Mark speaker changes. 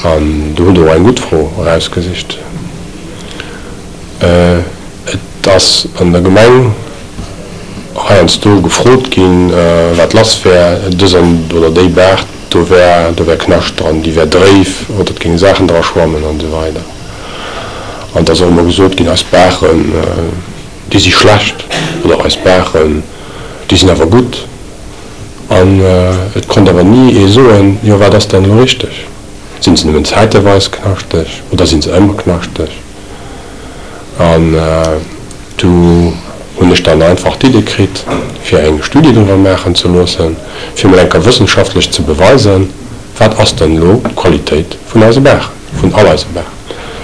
Speaker 1: An do hutt Der och eng gutt Fro erausgesicht. Et ass an der Gemeng heiansdo gefrot ginn, wat lass wär, dës an oder déi Baach, do wär, do wär Knascht dran, déi wär dréif oder et géinge Saachen dra schwammen an esou weider. An et ass och ëmmer gesot ginn, eis Baachen, déi si schlecht oder eis Baachen, déi sinn awer gutt. An et konnt awer ni ee soen, jo wat ass dann elo richteg? Sinn se nëmmen zäiteweis knaschteg oder sinn se ëmmer knaschteg? An du hunn ech dann einfach d'Idee kritt, fir eng Studie driwwer maachen ze loossen, fir mol eng Kéier wëssenschaftlech ze beweisen, wat ass denn elo d'Qualitéit vun eise Baachen, vun all eise Baachen.